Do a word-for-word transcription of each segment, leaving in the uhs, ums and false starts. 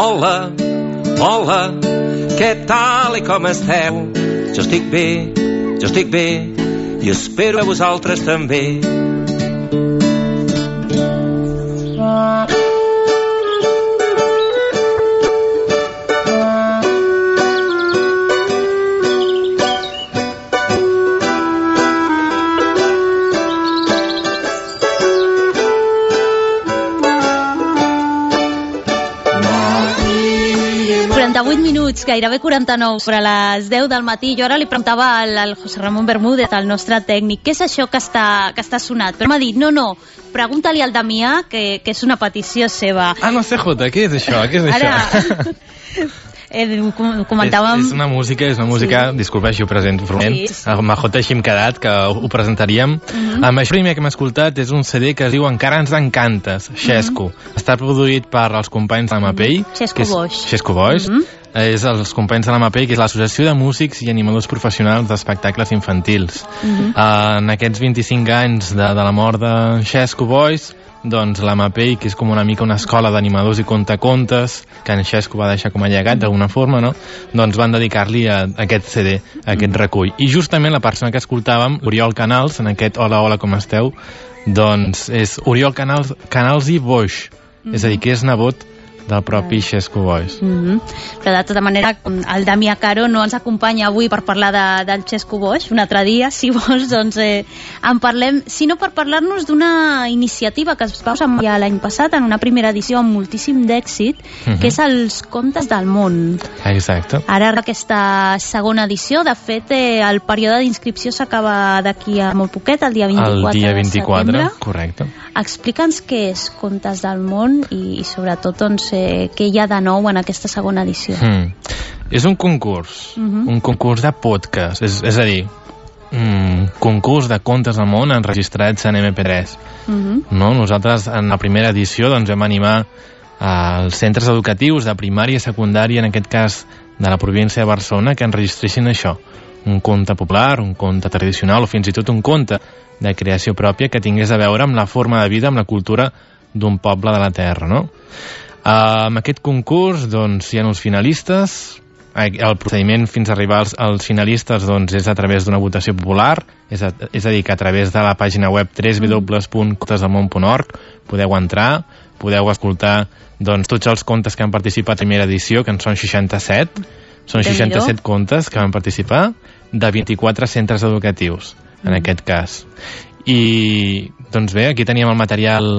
Hola, hola, què tal i com esteu? Jo estic bé, jo estic bé, i espero que vosaltres també. quaranta-vuit minuts, gairebé quaranta-nou, sobre les deu del matí. Jo ara li preguntava al, al José Ramón Bermúdez, el nostre tècnic, què és això que està, que està sonat? Però m'ha dit, no, no, pregunta-li al Damià, que, que és una petició seva. Ah, no sé, Jota, què és això? Què és ara... això? Eh, comentàvem... És, és una música, és una música, sí. Disculpa si ho presento formalment, sí, sí. Amb Jota així hem quedat, que ho presentaríem. Uh-huh. Amb això primer que hem escoltat és un C D que es diu Encara ens encantes, Xesco. Uh-huh. Està produït per els companys de l'Amapei. Uh-huh. Xesco Boix. Xesco Boix. Uh-huh. És els companys de l'Amapei, que és l'Associació de Músics i Animadors Professionals d'Espectacles Infantils. Uh-huh. Uh, en aquests vint-i-cinc anys de, de la mort de Xesco Boix, doncs l'Amapei, que és com una mica una escola d'animadors i contacontes, que en Xesco va deixar com a llegat d'alguna forma, no? Doncs van dedicar-li a, a aquest C D, a aquest recull. I justament la persona que escoltàvem, Oriol Canals, en aquest Hola, hola, com esteu, doncs és Oriol Canals, Canals i Boix, mm-hmm. és a dir, que és nebot del propi Xesco Boix. Mm-hmm. Però de tota manera, el Damià Caro no ens acompanya avui per parlar de, del Xesco Boix, un altre dia, si vols, doncs eh, en parlem, sinó per parlar-nos d'una iniciativa que es va usar ja l'any passat, en una primera edició amb moltíssim d'èxit, mm-hmm. que és els Contes del Món. Exacte. Ara aquesta segona edició, de fet, eh, el període d'inscripció s'acaba d'aquí a molt poquet, el dia vint-i-quatre, el dia vint-i-quatre de setembre. Correcte. Explica'ns què és Contes del Món i, i sobretot, doncs, eh, què hi ha de nou en aquesta segona edició. Mm. És un concurs, uh-huh. un concurs de podcast, és, és a dir, un concurs de contes del món enregistrats en eme pe tres. Uh-huh. No? Nosaltres, en la primera edició, doncs, vam animar als centres educatius de primària i secundària, en aquest cas de la província de Barcelona, que enregistressin això, un conte popular, un conte tradicional o fins i tot un conte de creació pròpia que tingués a veure amb la forma de vida, amb la cultura d'un poble de la terra, no? Uh, amb aquest concurs, doncs, hi ha uns finalistes. El procediment fins a arribar als, als finalistes, doncs, és a través d'una votació popular, és a, és a dir, que a través de la pàgina web w w w punt contes del món punt org podeu entrar, podeu escoltar, doncs, tots els contes que han participat a la primera edició, que en són seixanta-set, són seixanta-set contes que van participar, de vint-i-quatre centres educatius, en mm. aquest cas. I, doncs bé, aquí teníem el material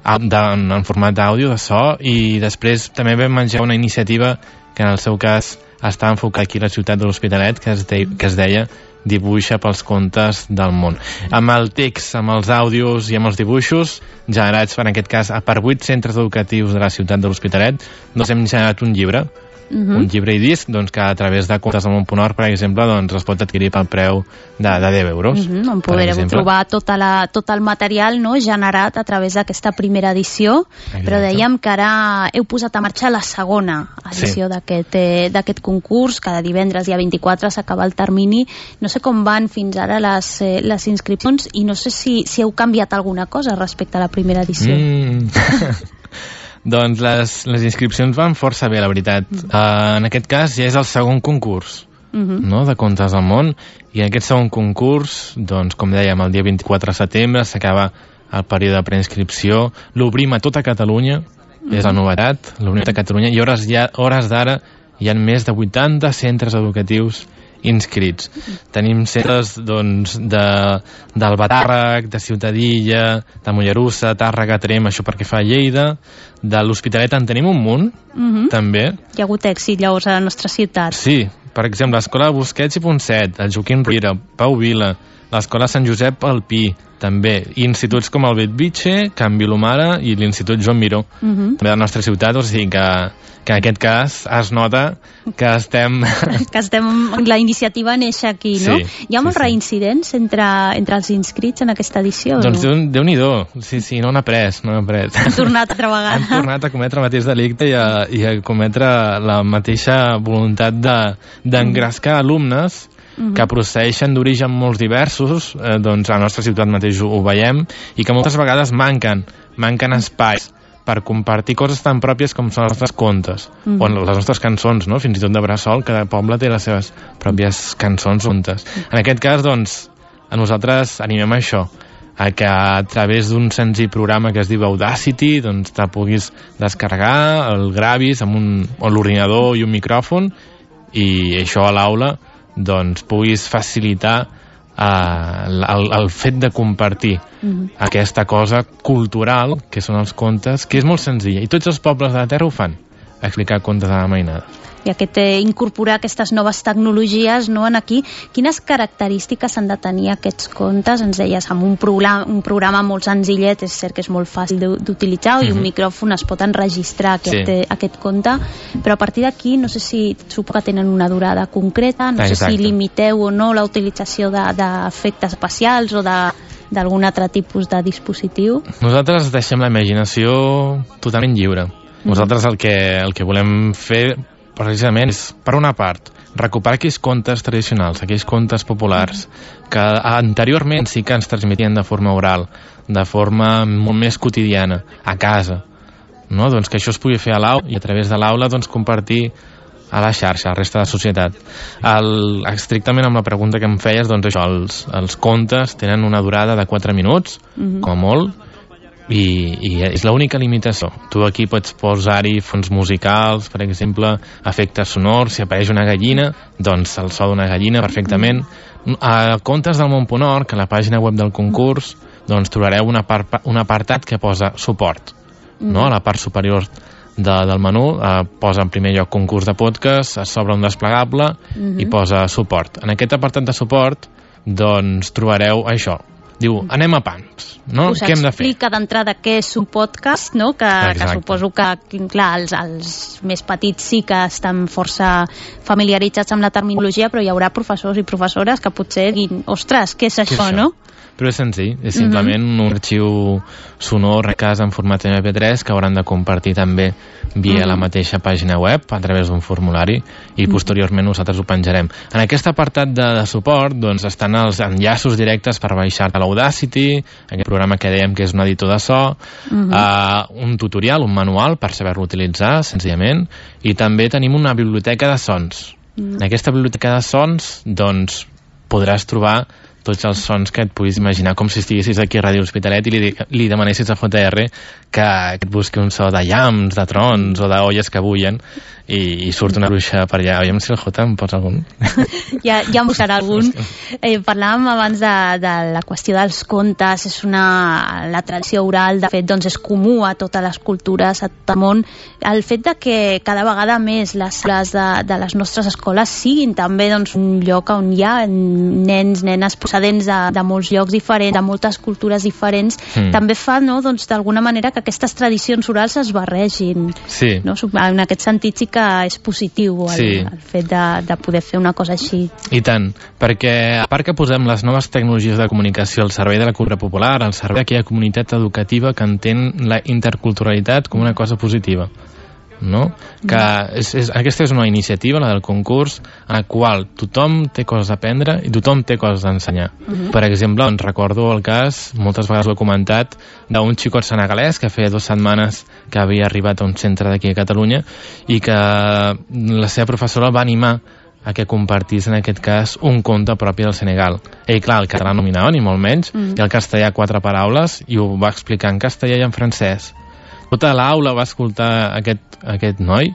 en, en format d'àudio, de so, i després també vam menjar una iniciativa que en el seu cas està enfocat aquí a la ciutat de l'Hospitalet, que es, de, que es deia Dibuixa pels contes del món. Amb el text, amb els àudios i amb els dibuixos generats, en aquest cas, per vuit centres educatius de la ciutat de l'Hospitalet, doncs hem generat un llibre, Uh-huh. un llibre i disc, doncs, que a través de Contes del Món punt org, per exemple, doncs, es pot adquirir pel preu de, de deu euros. Uh-huh. On podreu trobar tota la, tot el material, no?, generat a través d'aquesta primera edició. Exacte. Però dèiem que ara heu posat a marxar la segona edició sí. d'aquest, eh, d'aquest concurs. Cada divendres, dia vint-i-quatre, s'acaba el termini. No sé com van fins ara les, eh, les inscripcions i no sé si, si heu canviat alguna cosa respecte a la primera edició. Mm. Doncs les, les inscripcions van força bé, la veritat. Mm. Uh, en aquest cas ja és el segon concurs, mm-hmm. no?, de Contes del Món, i en aquest segon concurs, doncs, com dèiem, el dia vint-i-quatre de setembre s'acaba el període de preinscripció, l'obrim a tota Catalunya, mm-hmm. és la novetat, l'obrim a Catalunya, i hores, ja, hores d'ara hi ha més de vuitanta centres educatius inscrits. Tenim centres, doncs, de, del Batàrrec, de Ciutadilla, de Mollerussa, Tàrrega, Trem, això perquè fa a Lleida, de l'Hospitalet en tenim un munt, mm-hmm. també. Hi ha hagut èxit, llavors, a la nostra ciutat. Sí, per exemple, l'Escola Busquets i Ponset, el Joaquim Rira, Pau Vila, l'Escola Sant Josep Alpí, també, i instituts com el Bellvitge, Can Vilomara i l'Institut Joan Miró, uh-huh. també de la nostra ciutat, o sigui que, que en aquest cas es nota que estem... que estem... La iniciativa neix aquí, no? Sí, Hi ha molts sí, sí. reincidents entre, entre els inscrits en aquesta edició? Doncs no? Déu-n'hi-do, sí, sí, no n'ha pres, no n'ha pres. Han tornat altra vegada. Han tornat a cometre el mateix delicte i a, i a cometre la mateixa voluntat de, d'engrescar alumnes que procedeixen d'origen molts diversos, eh, doncs a la nostra ciutat mateix ho, ho veiem, i que moltes vegades manquen, manquen espais per compartir coses tan pròpies com són els nostres contes, mm -hmm. o les nostres cançons, no? Fins i tot de Bressol, cada poble té les seves pròpies cançons, contes. En aquest cas, doncs, a nosaltres animem a això, a que a través d'un senzill programa que es diu Audacity, doncs te puguis descarregar, el gravis amb un, amb l'ordinador i un micròfon, i això a l'aula doncs puguis facilitar eh, el, el fet de compartir mm-hmm. aquesta cosa cultural que són els contes, que és molt senzilla i tots els pobles de la Terra ho fan, explicar contes a la mainada. I aquest, eh, incorporar aquestes noves tecnologies, no, en aquí, quines característiques han de tenir aquests contes? Ens deies, amb un programa, un programa molt senzillet, és cert que és molt fàcil d'utilitzar, mm-hmm. i un micròfon es pot enregistrar aquest, sí. eh, aquest conte, però a partir d'aquí, no sé si suposo que tenen una durada concreta, no Exacte. sé si limiteu o no la utilització d'efectes especials o de d'algun altre tipus de dispositiu. Nosaltres deixem la imaginació totalment lliure. Nosaltres el que, el que volem fer precisament és, per una part, recuperar aquells contes tradicionals, aquells contes populars que anteriorment sí que ens transmetien de forma oral, de forma molt més quotidiana, a casa, no? Doncs que això es pugui fer a l'aula i a través de l'aula doncs compartir a la xarxa, a la resta de la societat. El, estrictament amb la pregunta que em feies, doncs això, els, els contes tenen una durada de quatre minuts, mm-hmm. com a molt, i, i és l'única limitació. Tu aquí pots posar-hi fons musicals, per exemple, efectes sonors, si apareix una gallina, doncs el so d'una gallina perfectament. A Contes del Món punt org, a la pàgina web del concurs, doncs trobareu una part, un apartat que posa suport, no? A la part superior de, del menú eh, posa en primer lloc concurs de podcast, es s'obre un desplegable mm-hmm. i posa suport. En aquest apartat de suport doncs trobareu això. Diu, anem a pams, no? Us què hem de fer? explica d'entrada què és un podcast, no? Que, que suposo que, clar, els, els més petits sí que estan força familiaritzats amb la terminologia, però hi haurà professors i professores que potser diguin, ostres, què és això, què és això? No? Però és senzill, és simplement mm-hmm. un arxiu sonor a casa en format eme pe tres que hauran de compartir també via mm-hmm. la mateixa pàgina web a través d'un formulari i mm-hmm. posteriorment nosaltres ho penjarem. En aquest apartat de, de suport doncs estan els enllaços directes per baixar a l'Audacity, aquest programa que dèiem que és un editor de so, mm-hmm. uh, un tutorial, un manual per saber-lo utilitzar senzillament, i també tenim una biblioteca de sons. Mm-hmm. En aquesta biblioteca de sons doncs podràs trobar tots els sons que et puguis imaginar, com si estiguessis aquí a Ràdio Hospitalet i li, li demanessis a J R que, que et busqui un so de llamps, de trons o d'olles que bullen i, i surt una bruixa per allà. Aviam si el J em pots algun? Ja, ja em buscarà algun. Eh, parlàvem abans de, de la qüestió dels contes, és una, la tradició oral, de fet, doncs és comú a totes les cultures, a tot el món. El fet de que cada vegada més les sales de, de les nostres escoles siguin també doncs, un lloc on hi ha nens, nenes procedents de, de molts llocs diferents, de moltes cultures diferents, mm. també fa, no, doncs, d'alguna manera que aquestes tradicions orals es barregin. Sí. No? En aquest sentit sí que és positiu el, sí. el fet de, de poder fer una cosa així. I tant, perquè a part que posem les noves tecnologies de comunicació al servei de la cultura popular, al servei d'aquella comunitat educativa que entén la interculturalitat com una cosa positiva, no? Que és, és, aquesta és una iniciativa, la del concurs, en la qual tothom té coses a aprendre i tothom té coses a ensenyar. Uh-huh. Per exemple, doncs recordo el cas, moltes vegades ho he comentat, d'un xicot senegalès que feia dues setmanes que havia arribat a un centre d'aquí a Catalunya i que la seva professora va animar a que compartís en aquest cas un conte propi del Senegal. Ell, clar, el català no dominava ni molt menys, uh-huh. i el castellà quatre paraules, i ho va explicar en castellà i en francès. Tota l'aula va escoltar aquest, aquest noi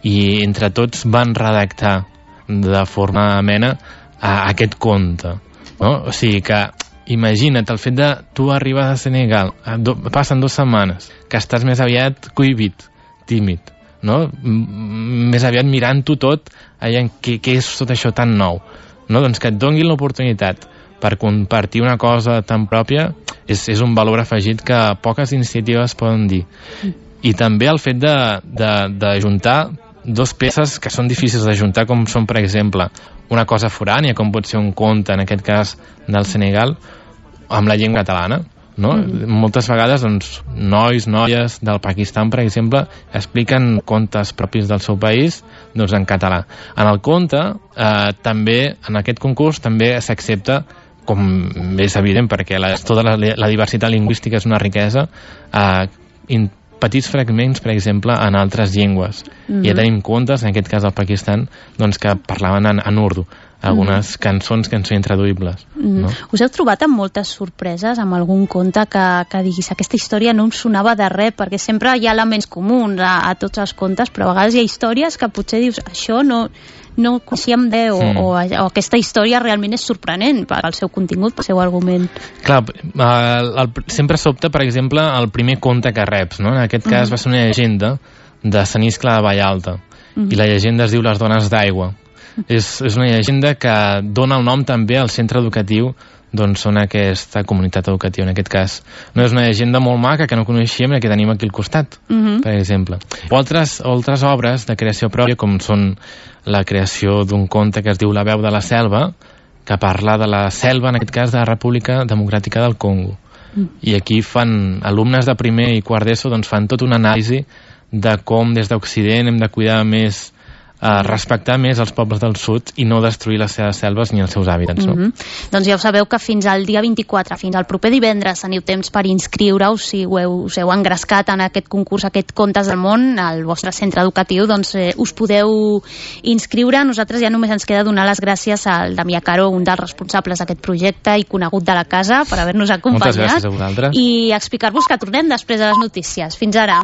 i entre tots van redactar de forma amena a aquest conte, no? O sigui que imagina't el fet de tu arribes a Senegal, do, passen dues setmanes, que estàs més aviat cohibit, tímid, no? M més aviat mirant-ho tot, allà, què, què és tot això tan nou, no? Doncs que et donguin l'oportunitat per compartir una cosa tan pròpia és, és un valor afegit que poques iniciatives poden dir. I també el fet de, de, de juntar dos peces que són difícils de juntar, com són, per exemple, una cosa forània, com pot ser un conte, en aquest cas del Senegal, amb la llengua catalana, no? Mm. Moltes vegades doncs, nois, noies del Pakistan, per exemple, expliquen contes propis del seu país doncs, en català. En el conte, eh, també, en aquest concurs, també s'accepta, com és evident, perquè la, tota la, la diversitat lingüística és una riquesa, eh, in, petits fragments, per exemple, en altres llengües. Mm-hmm. Ja tenim contes, en aquest cas al Pakistan, doncs, que parlaven en, en urdu, algunes mm-hmm. cançons que en són intraduïbles. Mm-hmm. No? Us heu trobat amb moltes sorpreses, amb algun conte que, que diguis aquesta història no em sonava de res, perquè sempre hi ha elements comuns a, a tots els contes, però a vegades hi ha històries que potser dius, això no, no coneixíem de, o, mm. o, o aquesta història realment és sorprenent pel seu contingut, pel seu argument. Clar, el, el, sempre sobta, per exemple, el primer conte que reps, no? En aquest cas mm. va ser una llegenda de Sant Iscle de Vallalta, mm. i la llegenda es diu Les dones d'aigua. És, és una llegenda que dona el nom també al centre educatiu d'on són aquesta comunitat educativa, en aquest cas. No, és una llegenda molt maca que no coneixíem i que tenim aquí al costat, uh-huh. per exemple. O altres, altres obres de creació pròpia, com són la creació d'un conte que es diu La veu de la selva, que parla de la selva, en aquest cas, de la República Democràtica del Congo. Uh-huh. I aquí fan, alumnes de primer i quart d'ESO, doncs fan tota una anàlisi de com des d'Occident hem de cuidar més, a respectar més els pobles del sud i no destruir les seves selves ni els seus hàbitats. No? Mm-hmm. Doncs ja ho sabeu que fins al dia vint-i-quatre, fins al proper divendres, teniu temps per inscriure-us si ho heu, us heu engrescat en aquest concurs, aquest Contes del Món, al vostre centre educatiu, doncs eh, us podeu inscriure. Nosaltres ja només ens queda donar les gràcies al Damià Caro, un dels responsables d'aquest projecte i conegut de la casa, per haver-nos acompanyat. Moltes gràcies a vosaltres. I explicar-vos que tornem després de les notícies. Fins ara.